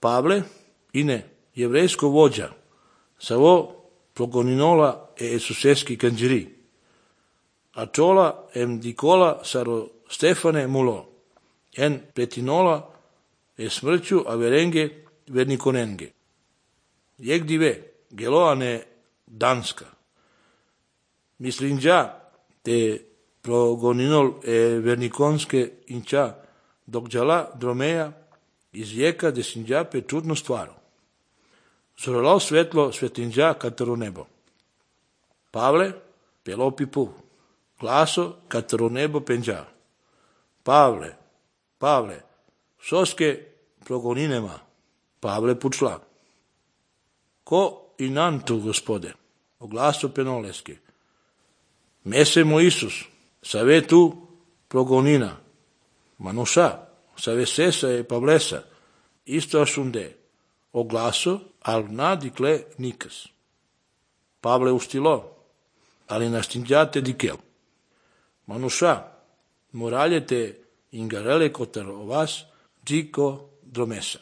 Pavle, ine, jevrejsko vođa, savo progoninola e esuseski kanđiri, a čola em dikola saro Stefane mulo, en pretinola e smrću averenge vernikonenge. Jeg dive, geloane Danska. Mislinđa te progoninol e vernikonske inča, dok džala dromeja iz vijeka desinđa pe čudnu stvaru. Zorolao svetlo svetinđa katero nebo. Pavle, pelopi pu, glaso katero nebo penđa. Pavle, Pavle, soske progoninema. Pavle pučla. Ko i nantu, gospode, o glaso penoleske. Mesemo Isus, save tu progonina. Manuša, save sesa e Pavlesa, isto ašunde, o glaso, al nadikle nikas. Pavle ustilo, ali nastinđate dikel. Manuša, moraljete ingarele kotar o vas, džiko dromesa.